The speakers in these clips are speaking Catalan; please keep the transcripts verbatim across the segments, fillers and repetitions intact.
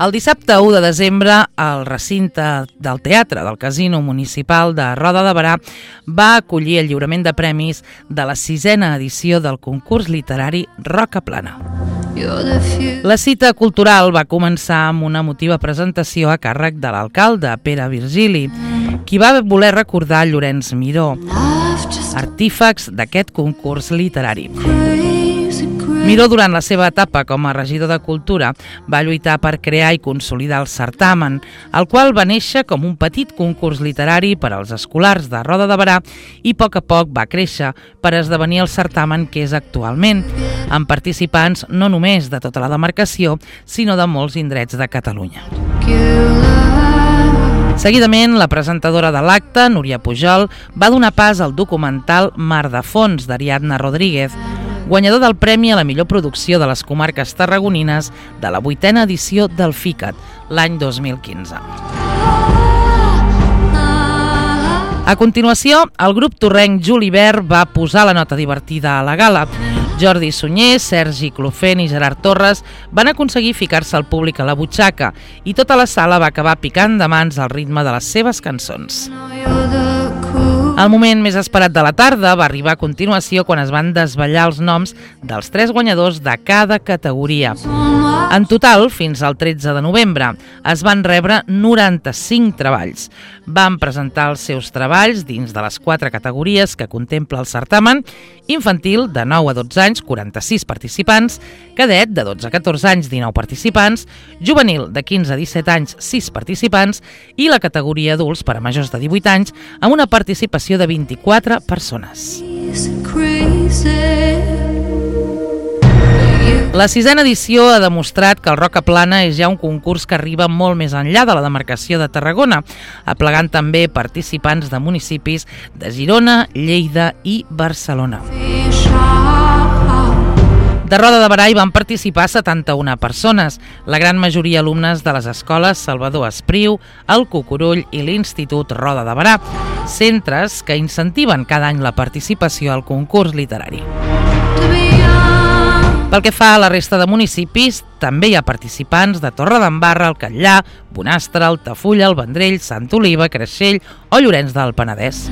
El dissabte u de desembre, el recinte del Teatre del Casino Municipal de Roda de Berà va acollir el lliurament de premis de la sisena edició del concurs literari Roca Plana. La cita cultural va començar amb una emotiva presentació a càrrec de l'alcalde, Pere Virgili, qui va voler recordar Llorenç Miró, artífex d'aquest concurs literari. Miró, durant la seva etapa com a regidor de Cultura, va lluitar per crear i consolidar el certamen, el qual va néixer com un petit concurs literari per als escolars de Roda de Berà i a poc a poc va créixer per esdevenir el certamen que és actualment, amb participants no només de tota la demarcació, sinó de molts indrets de Catalunya. Seguidament, la presentadora de l'acte, Núria Pujol, va donar pas al documental Mar de Fons, d'Ariadna Rodríguez, guanyador del Premi a la millor producció de les comarques tarragonines de la vuitena edició del FICAT, l'any dos mil quinze. A continuació, el grup torrenc Julivert va posar la nota divertida a la gala. Jordi Sunyer, Sergi Clofent i Gerard Torres van aconseguir ficar-se al públic a la butxaca i tota la sala va acabar picant de mans al ritme de les seves cançons. El moment més esperat de la tarda va arribar a continuació quan es van desvetllar els noms dels tres guanyadors de cada categoria. En total, fins al tretze de novembre, es van rebre noranta-cinc treballs. Van presentar els seus treballs dins de les quatre categories que contempla el certamen: infantil, de nou a dotze anys, quaranta-sis participants; cadet, de dotze a catorze anys, dinou participants; juvenil, de quinze a disset anys, sis participants; i la categoria adults per a majors de divuit anys, amb una participació de vint-i-quatre persones. La sisena edició ha demostrat que el Roca Plana és ja un concurs que arriba molt més enllà de la demarcació de Tarragona, aplegant també participants de municipis de Girona, Lleida i Barcelona. De Roda de Berà hi van participar setanta-una persones, la gran majoria alumnes de les escoles Salvador Espriu, el Cucurull i l'Institut Roda de Berà, centres que incentiven cada any la participació al concurs literari. Pel que fa a la resta de municipis, també hi ha participants de Torredembarra, el Catllà, Bonastre, Altafulla, el Vendrell, Sant Oliva, Creixell o Llorenç del Penedès.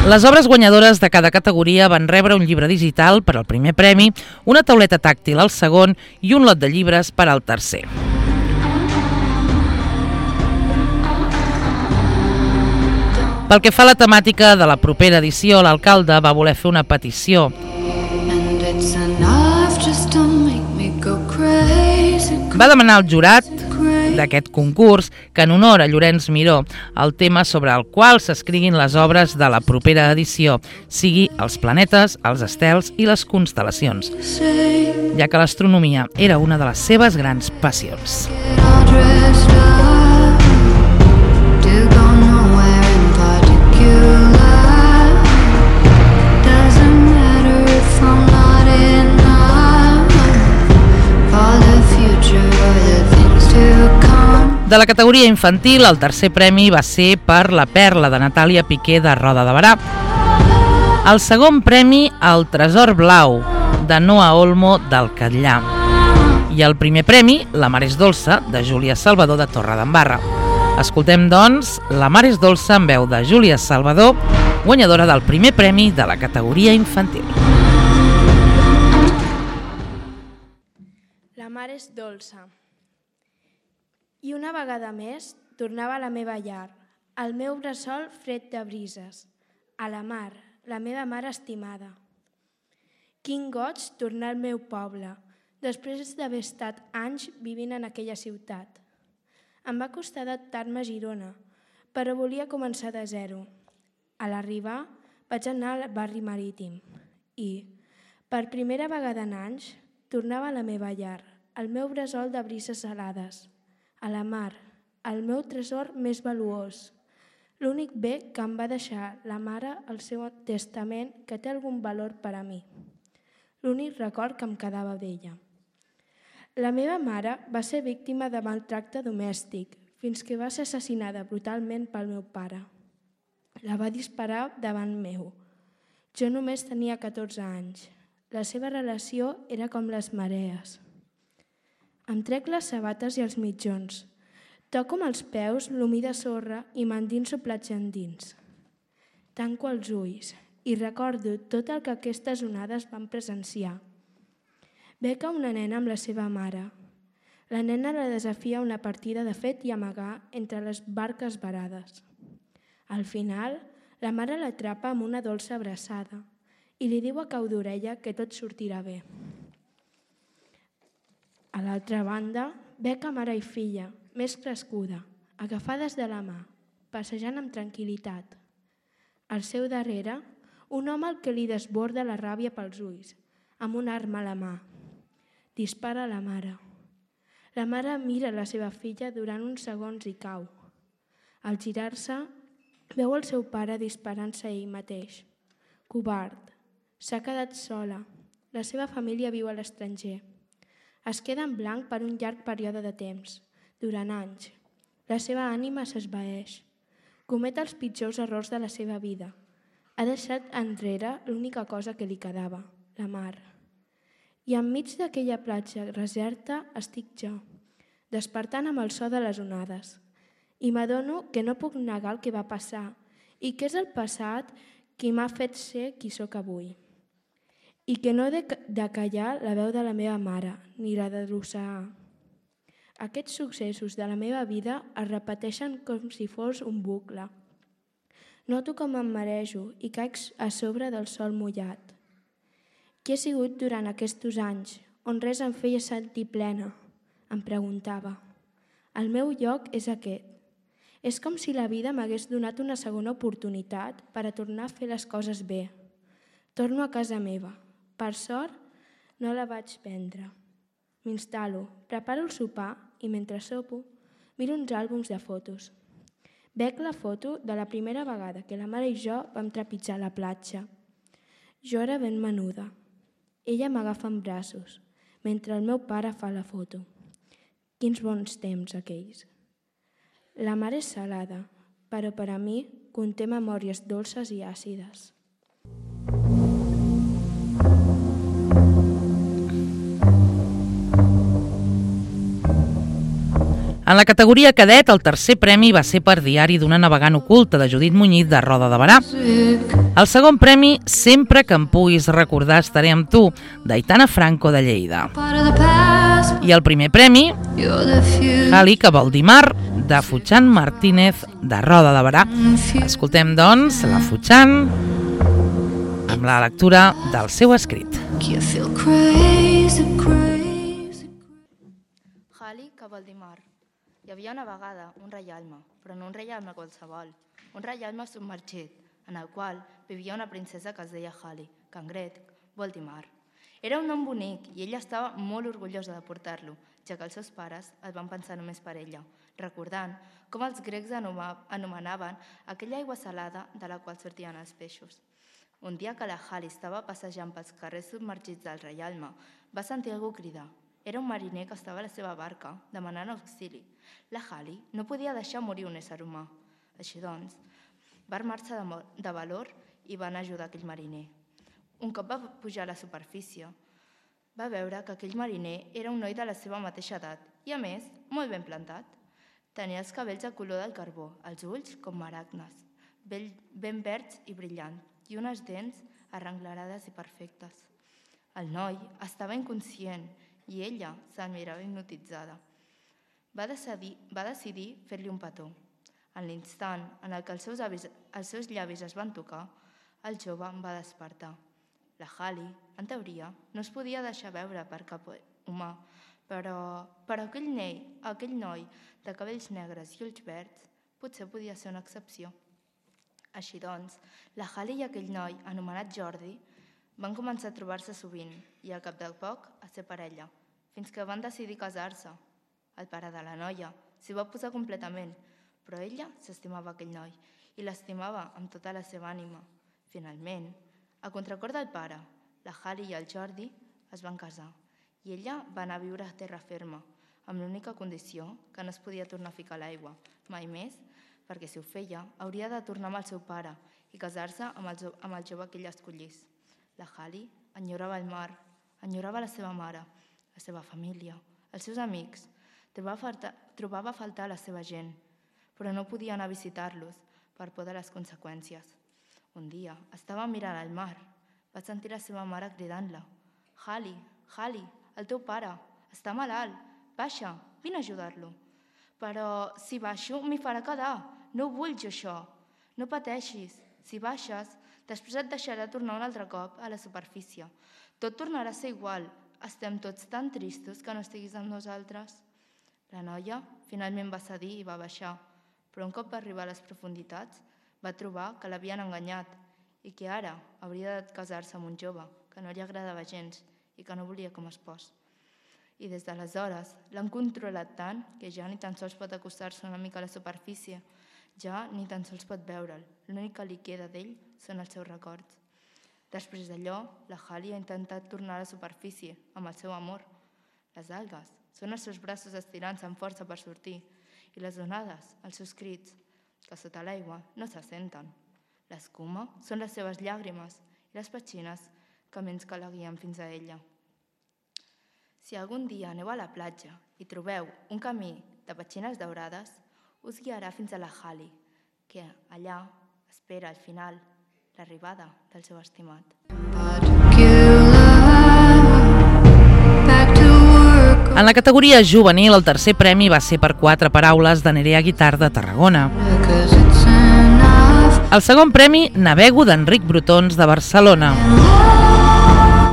Les obres guanyadores de cada categoria van rebre un llibre digital per al primer premi, una tauleta tàctil al segon i un lot de llibres per al tercer. Pel que fa a la temàtica de la propera edició, l'alcalde va voler fer una petició. Va demanar al jurat d'aquest concurs que, en honor a Llorenç Miró, el tema sobre el qual s'escriguin les obres de la propera edició sigui els planetes, els estels i les constel·lacions, ja que l'astronomia era una de les seves grans passions. De la categoria infantil, el tercer premi va ser per La perla, de Natàlia Piqué, de Roda de Berà. El segon premi, El tresor blau, de Noa Olmo, del Catllà. I el primer premi, La mar és dolça, de Júlia Salvador, de Torredembarra. Escoltem, doncs, La mar és dolça, en veu de Júlia Salvador, guanyadora del primer premi de la categoria infantil. La mar és dolça. I una vegada més tornava a la meva llar, al meu bressol fred de brises, a la mar, la meva mare estimada. Quin goig tornar al meu poble, després d'haver estat anys vivint en aquella ciutat. Em va costar adaptar-me a Girona, però volia començar de zero. A l'arribar vaig anar al barri marítim i, per primera vegada en anys, tornava a la meva llar, al meu bressol de brises salades, a la mar, el meu tresor més valuós, l'únic bé que em va deixar la mare al seu testament que té algun valor per a mi, l'únic record que em quedava d'ella. La meva mare va ser víctima de maltracte domèstic fins que va ser assassinada brutalment pel meu pare. La va disparar davant meu. Jo només tenia catorze anys. La seva relació era com les marees. Em trec les sabates i els mitjons. Toco amb els peus l'humí de sorra i m'endinso platja endins. Tanco els ulls i recordo tot el que aquestes onades van presenciar. Beca una nena amb la seva mare. La nena la desafia una partida de fet i amagar entre les barques varades. Al final, la mare l'atrapa amb una dolça abraçada i li diu a cau d'orella que tot sortirà bé. A l'altra banda, Beca mare i filla, més crescuda, agafades de la mà, passejant amb tranquil·litat. Al seu darrere, un home al que li desborda la ràbia pels ulls, amb una arma a la mà. Dispara a la mare. La mare mira la seva filla durant uns segons i cau. Al girar-se, veu el seu pare disparant-se ell mateix. Covard. S'ha quedat sola. La seva família viu a l'estranger. Es queda en blanc per un llarg període de temps, durant anys. La seva ànima s'esvaeix. Comet els pitjors errors de la seva vida. Ha deixat enrere l'única cosa que li quedava, la mar. I enmig d'aquella platja deserta estic jo, despertant amb el so de les onades. I m'adono que no puc negar el que va passar i que és el passat qui m'ha fet ser qui sóc avui. I que no he de callar la veu de la meva mare, ni la de l'oceà. Aquests successos de la meva vida es repeteixen com si fos un bucle. Noto com em marejo i caic a sobre del sol mullat. Qui he sigut durant aquests anys, on res em feia sentir plena? Em preguntava. El meu lloc és aquest. És com si la vida m'hagués donat una segona oportunitat per a tornar a fer les coses bé. Torno a casa meva. Per sort, no la vaig prendre. M'instal·lo, preparo el sopar i mentre sopo, miro uns àlbums de fotos. Veig la foto de la primera vegada que la mare i jo vam trepitjar la platja. Jo era ben menuda. Ella m'agafa en braços, mentre el meu pare fa la foto. Quins bons temps aquells. La mar és salada, però per a mi conté memòries dolces i àcides. En la categoria cadet, el tercer premi va ser per Diari d'una navegant oculta, de Judit Muñiz, de Roda de Berà. El segon premi, Sempre que em puguis recordar estaré amb tu, d'Aitana Franco, de Lleida. I el primer premi, Jali, que vol dir mar, de Futxan Martínez, de Roda de Berà. Escoltem, doncs, la Futxan amb la lectura del seu escrit. Jali, que vol dir mar. Hi havia una vegada un reialme, però no un reialme qualsevol, un reialme submergit, en el qual vivia una princesa que es deia Jali, que en grec vol dir mar. Era un nom bonic i ella estava molt orgullosa de portar-lo, ja que els seus pares el van pensar només per ella, recordant com els grecs anomenaven aquella aigua salada de la qual sortien els peixos. Un dia que la Jali estava passejant pels carrers submergits del reialme, va sentir algú cridar. Era un mariner que estava a la seva barca, demanant auxili. La Jali no podia deixar morir un ésser humà. Així doncs, va armar-se de valor i van ajudar aquell mariner. Un cop va pujar a la superfície, va veure que aquell mariner era un noi de la seva mateixa edat i, a més, molt ben plantat. Tenia els cabells de color del carbó, els ulls com maragnes, ben verds i brillants, i unes dents arrenglerades i perfectes. El noi estava inconscient i ella se'l mirava hipnotitzada. Va decidir, va decidir fer-li un petó. En l'instant en el que els seus, avis, els seus llavis es van tocar, el jove va despertar. La Jali, en teoria, no es podia deixar veure per cap humà, però, però aquell, nei, aquell noi de cabells negres i ulls verds potser podia ser una excepció. Així doncs, la Jali i aquell noi, anomenat Jordi, van començar a trobar-se sovint i al cap de poc a ser parella, fins que van decidir casar-se. El pare de la noia s'hi va posar completament, però ella s'estimava aquell noi i l'estimava amb tota la seva ànima. Finalment, a contracor del pare, la Jali i el Jordi es van casar i ella va anar a viure a terra ferma, amb l'única condició que no es podia tornar a ficar a l'aigua, mai més, perquè si ho feia hauria de tornar amb el seu pare i casar-se amb el, amb el jove que ella escollís. La Jali enyorava el mar, enyorava la seva mare, la seva família, Els seus amics trobava a faltar, trobava a faltar la seva gent, però no podia anar a visitar-los per por de les conseqüències. Un dia estava mirant al mar. Va sentir la seva mare cridant-la. «Hali, Hali, el teu pare, està malalt. Baixa, vine a ajudar-lo». «Però si baixo m'hi farà quedar. No ho vull jo això. No pateixis. Si baixes, després et deixarà tornar un altre cop a la superfície. Tot tornarà a ser igual. Estem tots tan tristos que no estiguis amb nosaltres». La noia finalment va cedir i va baixar, però un cop va arribar a les profunditats va trobar que l'havien enganyat i que ara hauria de casar-se amb un jove que no li agradava gens i que no volia com a espòs. I des d'aleshores l'han controlat tant que ja ni tan sols pot acostar-se una mica a la superfície, ja ni tan sols pot veure'l. L'únic que li queda d'ell són els seus records. Després d'allò, la Hali ha intentat tornar a la superfície amb el seu amor. Les algues són els seus braços estirant-se amb força per sortir i les onades, els seus crits, que sota l'aigua no se senten. L'escuma són les seves llàgrimes i les petxines camins que la guien fins a ella. Si algun dia aneu a la platja i trobeu un camí de petxines daurades, us guiarà fins a la Hali, que allà espera al final l'arribada del seu estimat. En la categoria juvenil, el tercer premi va ser per quatre paraules de Nerea Guitart de Tarragona. El segon premi, Navego d'Enric Brotons de Barcelona.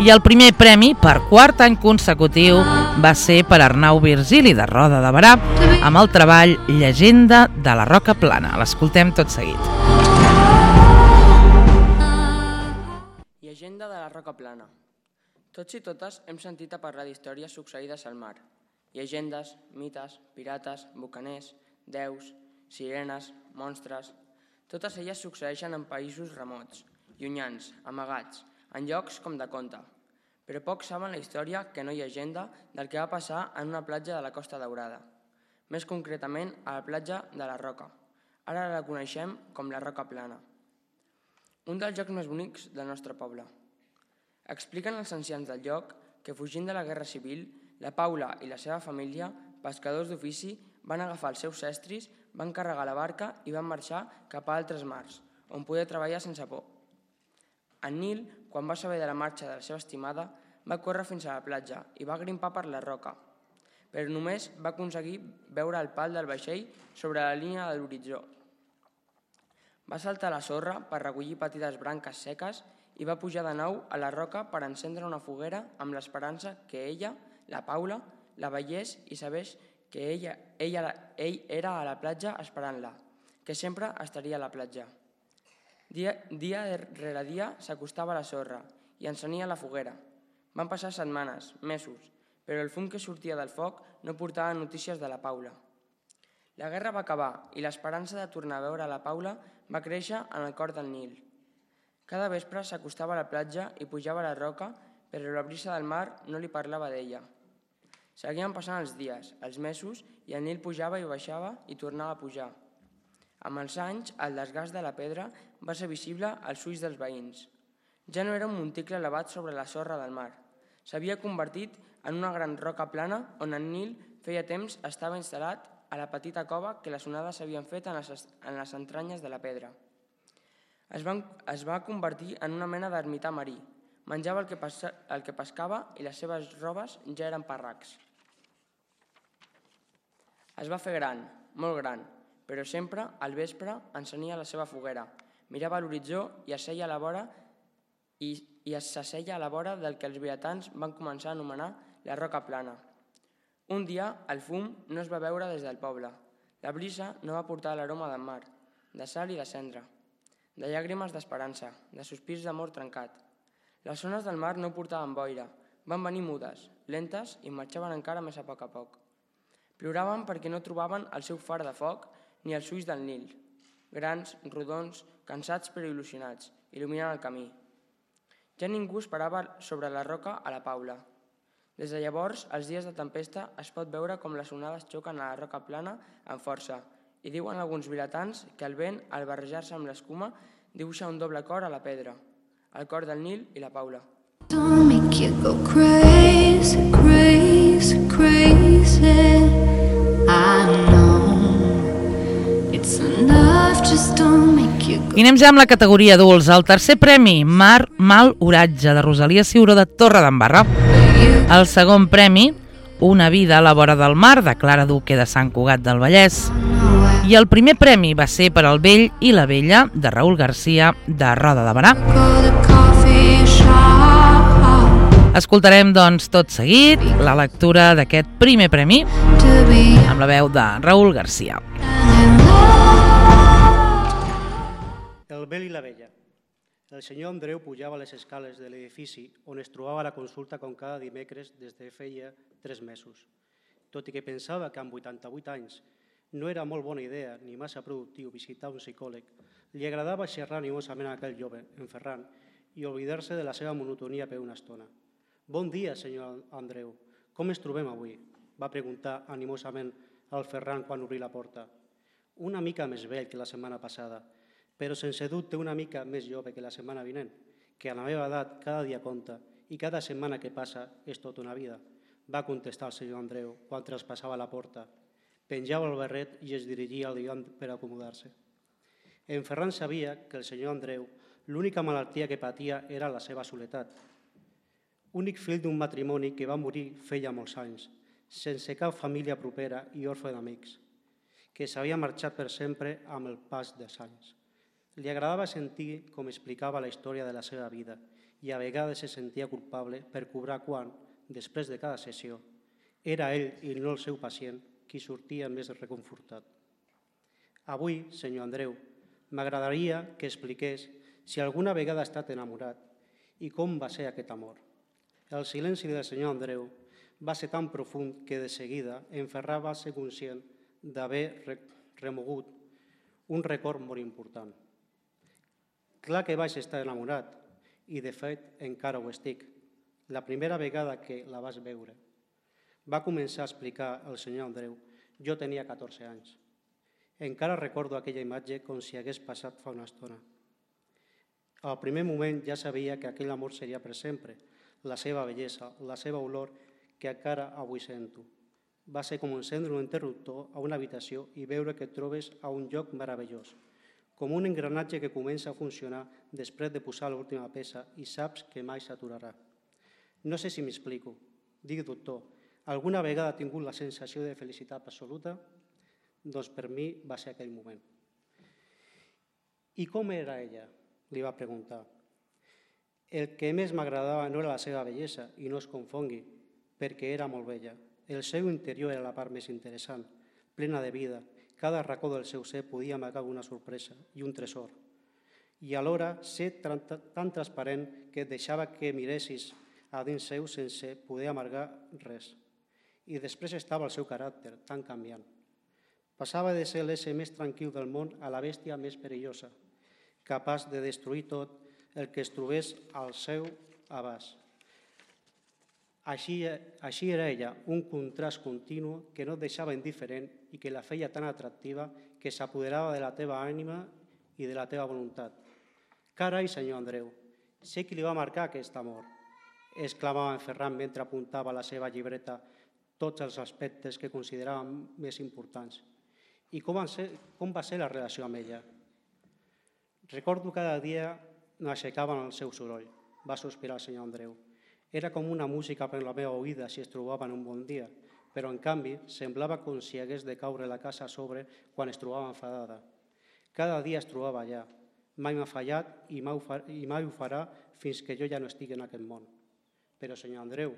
I el primer premi, per quart any consecutiu, va ser per Arnau Virgili de Roda de Berà, amb el treball Llegenda de la Roca Plana. L'escoltem tot seguit. Llegenda de la Roca Plana. Tots i totes hem sentit a parlar d'històries succeïdes al mar. Llegendes, mites, pirates, bucaners, déus, sirenes, monstres... Totes elles succeeixen en països remots, llunyans, amagats, en llocs com de conte. Però pocs saben la història que no hi ha llegenda del que va passar en una platja de la Costa Daurada. Més concretament a la platja de la Roca. Ara la coneixem com la Roca Plana. Un dels llocs més bonics del nostre poble. Expliquen els ancians del lloc que fugint de la Guerra Civil, la Paula i la seva família, pescadors d'ofici, van agafar els seus estris, van carregar la barca i van marxar cap a altres mars, on poder treballar sense por. En Nil, quan va saber de la marxa de la seva estimada, va córrer fins a la platja i va grimpar per la roca, però només va aconseguir veure el pal del vaixell sobre la línia de l'horitzó. Va saltar a la sorra per recollir petites branques seques i va pujar de nou a la roca per encendre una foguera amb l'esperança que ella, la Paula, la veiés i sabés que ella, ella, ell era a la platja esperant-la, que sempre estaria a la platja. Dia, dia rere dia s'acostava a la sorra i encenia la foguera. Van passar setmanes, mesos, però el fum que sortia del foc no portava notícies de la Paula. La guerra va acabar i l'esperança de tornar a veure la Paula va créixer en el cor del Nil. Cada vespre s'acostava a la platja i pujava a la roca, però la brisa del mar no li parlava d'ella. Seguien passant els dies, els mesos, i el Nil pujava i baixava i tornava a pujar. Amb els anys, el desgast de la pedra va ser visible als ulls dels veïns. Ja no era un monticle elevat sobre la sorra del mar. S'havia convertit en una gran roca plana on el Nil feia temps estava instal·lat a la petita cova que les onades s'havien fet en les, en les entranyes de la pedra. Es, van, es va convertir en una mena d'ermità marí. Menjava el que, passa, el que pescava i les seves robes ja eren parracs. Es va fer gran, molt gran, però sempre, al vespre, encenia la seva foguera, mirava a l'horitzó i asseia a la vora i, i s'asseia a la vora del que els viatans van començar a anomenar la Roca Plana. Un dia, el fum no es va veure des del poble. La brisa no va portar l'aroma del mar, de sal i de cendra, de llàgrimes d'esperança, de sospirs d'amor trencat. Les ones del mar no portaven boira, van venir mudes, lentes i marxaven encara més a poc a poc. Ploraven perquè no trobaven el seu far de foc ni els ulls del Nil, grans, rodons, cansats però il·lusionats, il·luminant el camí. Ja ningú esperava sobre la roca a la Paula. Des de llavors, els dies de tempesta es pot veure com les onades xoquen a la roca plana amb força i diuen alguns vilatans que el vent, al barrejar-se amb l'escuma, dibuixa un doble cor a la pedra, el cor del Nil i la Paula. Don't make you go crazy, crazy, crazy. easy. I know it's enough just to make you go. I anem ja amb la categoria adults. El tercer premi, Mar, Mal, Oratge, de Rosalia Ciuró de Torredembarra. El segon premi, Una vida a la vora del mar, de Clara Duque de Sant Cugat del Vallès. I el primer premi va ser per al Vell i la Vella, de Raül Garcia, de Roda de Barà. Escoltarem, doncs, tot seguit la lectura d'aquest primer premi amb la veu de Raül Garcia. El Vell i la Vella. El senyor Andreu pujava les escales de l'edifici on es trobava la consulta com cada dimecres des de feia tres mesos. Tot i que pensava que amb vuitanta-vuit anys no era molt bona idea ni massa productiu visitar un psicòleg, li agradava xerrar animosament a aquell jove, en Ferran, i oblidar-se de la seva monotonia per una estona. «Bon dia, senyor Andreu. Com ens trobem avui?», va preguntar animosament al Ferran quan obrí la porta. «Una mica més vell que la setmana passada, però sense dubte una mica més jove que la setmana vinent, que a la meva edat cada dia compta i cada setmana que passa és tota una vida», va contestar el senyor Andreu quan traspassava la porta. Penjava el barret i es dirigia al divan per acomodar-se. En Ferran sabia que el senyor Andreu l'única malaltia que patia era la seva soledat. Únic fill d'un matrimoni que va morir feia molts anys, sense cap família propera i orfe d'amics, que s'havia marxat per sempre amb el pas dels anys. Li agradava sentir com explicava la història de la seva vida i a vegades se sentia culpable per cobrar quan, després de cada sessió, era ell i no el seu pacient qui sortia més reconfortat. Avui, senyor Andreu, m'agradaria que expliqués si alguna vegada ha estat enamorat i com va ser aquest amor. El silenci del senyor Andreu va ser tan profund que de seguida en Ferran va ser conscient d'haver remogut un record molt important. Clar que vaig estar enamorat i, de fet, encara ho estic. La primera vegada que la vas veure, va començar a explicar el senyor Andreu, jo tenia catorze anys. Encara recordo aquella imatge com si hagués passat fa una estona. Al primer moment ja sabia que aquell amor seria per sempre, la seva bellesa, la seva olor, que encara avui sento. Va ser com encendre un interruptor a una habitació i veure que et trobes a un lloc meravellós, com un engranatge que comença a funcionar després de posar l'última peça i saps que mai s'aturarà. No sé si m'explico. Dic, doctor, alguna vegada ha tingut la sensació de felicitat absoluta? Doncs per mi va ser aquell moment. I com era ella? Li va preguntar. El que més m'agradava no era la seva bellesa, i no es confongui, perquè era molt bella. El seu interior era la part més interessant, plena de vida. Cada racó del seu ser podia amagar una sorpresa i un tresor. I alhora ser tan transparent que et deixava que miressis a dins seu sense poder amargar res. I després estava el seu caràcter, tan canviant. Passava de ser l'ésser més tranquil del món a la bèstia més perillosa, capaç de destruir tot el que es trobés al seu abast. Així, així era ella, un contrast continu que no et deixava indiferent i que la feia tan atractiva que s'apoderava de la teva ànima i de la teva voluntat. Carai, senyor Andreu, sé qui li va marcar aquest amor, exclamava en Ferran mentre apuntava a la seva llibreta tots els aspectes que considerava més importants. I com va ser, com va ser la relació amb ella? Recordo cada dia m'aixecava en el seu soroll, va sospirar el senyor Andreu. Era com una música per la meva oïda si es trobava en un bon dia, però en canvi semblava com si hagués de caure la casa a sobre quan es trobava enfadada. Cada dia es trobava allà, mai m'ha fallat i mai ho farà fins que jo ja no estigui en aquest món. Però, senyor Andreu,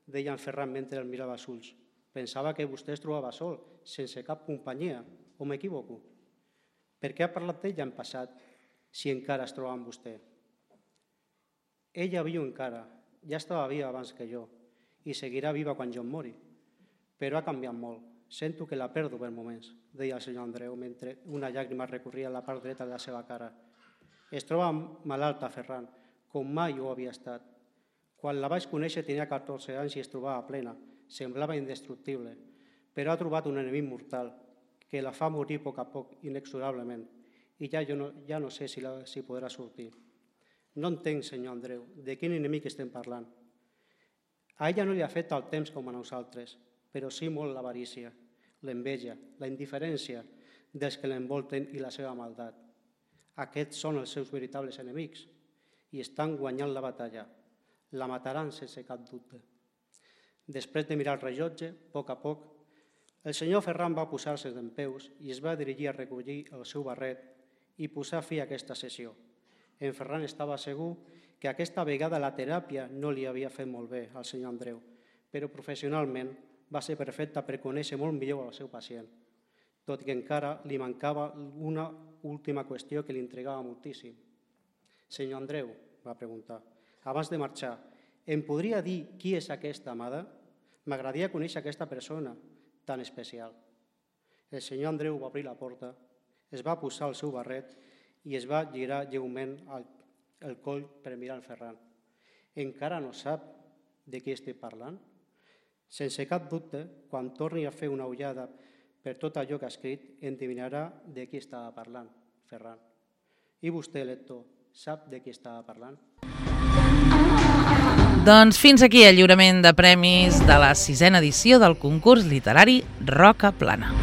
deia en Ferran mentre el mirava als ulls, pensava que vostè es trobava sol, sense cap companyia, o m'equivoco? Per què ha parlat d'ella en passat si encara es troba amb vostè? Ella viu encara, ja estava viva abans que jo i seguirà viva quan jo em mori, però ha canviat molt. Sento que la perdo per moments, deia el senyor Andreu mentre una llàgrima recorria la part dreta de la seva cara. Es troba malalta, Ferran, com mai ho havia estat. Quan la vaig conèixer tenia catorze anys i es trobava plena, semblava indestructible, però ha trobat un enemic mortal que la fa morir a poc a poc, inexorablement, i ja, jo no, ja no sé si, la, si podrà sortir. No entenc, senyor Andreu, de quin enemic estem parlant. A ella no li ha fet el temps com a nosaltres. però sí molt l'avarícia, l'enveja, la indiferència dels que l'envolten i la seva maldat. Aquests són els seus veritables enemics i estan guanyant la batalla. La mataran sense cap dubte. Després de mirar el rellotge, a poc a poc, el senyor Ferran va posar-se dempeus i es va dirigir a recollir el seu barret i posar fi a aquesta sessió. En Ferran estava segur que aquesta vegada la teràpia no li havia fet molt bé al senyor Andreu, però professionalment va ser perfecta per conèixer molt millor el seu pacient, tot i que encara li mancava una última qüestió que li intrigava moltíssim. «Senyor Andreu», va preguntar, «abans de marxar, em podria dir qui és aquesta amada? M'agradaria conèixer aquesta persona tan especial». El senyor Andreu va obrir la porta, es va posar el seu barret i es va girar lleument el coll per mirar el Ferran. «Encara no sap de qui estic parlant?» Sense cap dubte, quan torni a fer una ullada per tot allò que ha escrit, endevinarà de qui estava parlant, Ferran. I vostè, lector, sap de qui estava parlant? Doncs fins aquí el lliurament de premis de la sisena edició del concurs literari Roca Plana.